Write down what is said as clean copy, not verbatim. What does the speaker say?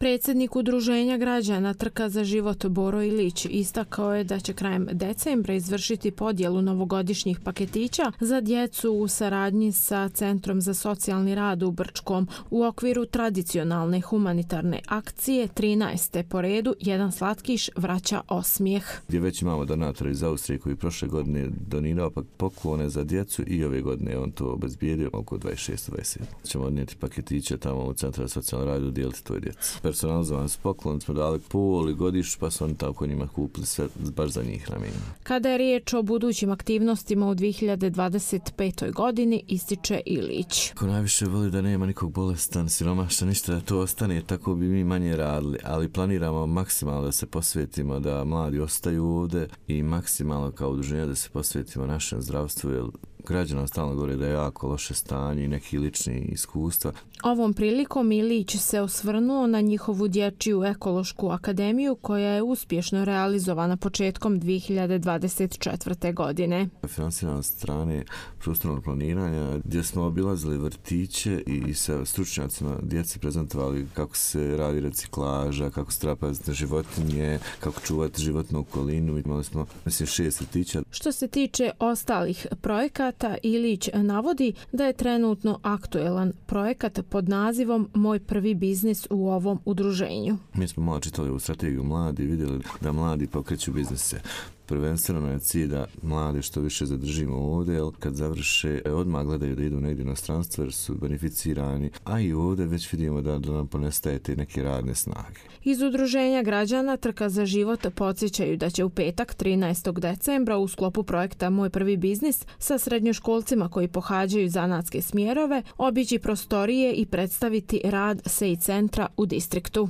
Predsjednik Udruženja građana Trka za život Boro Ilić istakao je da će krajem decembra izvršiti podjelu novogodišnjih paketića za djecu u saradnji sa Centrom za socijalni rad u Brčkom u okviru tradicionalne humanitarne akcije 13. po redu Jedan slatkiš vraća osmijeh. Gdje već imamo donatora iz Austrije koji prošle godine donirao poklone za djecu i ove godine on to obezbijedio oko 26-27. Ćemo odnijeti paketiće tamo u Centru za socijalni rad i udijeliti toj djeci. Personalizovan poklon smo dali pol i godiš, pa su oni tako njima kupili sve baš za njih namijenjeno. Kada je riječ o budućim aktivnostima u 2025. godini, ističe Ilić. Ko najviše voli da nema nikog bolestan, siromašan, ništa da to ostane, tako bi mi manje radili, ali planiramo maksimalno da se posvetimo da mladi ostaju ovdje i maksimalno kao udruženje da se posvetimo našem zdravstvu, jer građana stalno govore da je jako loše stanje i neki lični iskustva. Ovom prilikom Ilić se osvrnuo na njihovu dječju ekološku akademiju koja je uspješno realizovana početkom 2024. godine. Finansirana strane prostornog planiranja gdje smo obilazili vrtiće i sa stručnjacima djeci prezentovali kako se radi reciklaža, kako se treba paziti životinje, kako čuvati životnu okolinu. Imali smo 6 vrtića. Što se tiče ostalih projekata, Ilić navodi da je trenutno aktuelan projekat pod nazivom Moj prvi biznis u ovom udruženju. Mi smo malo čitali u strategiju mladi i vidjeli da mladi pokreću biznise. Prvenstveno je cilj da mlade što više zadržimo ovdje, jer kad završe odmah gledaju da idu negdje na stranstvo jer su beneficirani, a i ovdje već vidimo da nam ponestaje te neke radne snage. Iz Udruženja građana Trka za život podsjećaju da će u petak 13. decembra u sklopu projekta Moj prvi biznis sa srednjoškolcima koji pohađaju zanatske smjerove obići prostorije i predstaviti rad SEI centra u distriktu.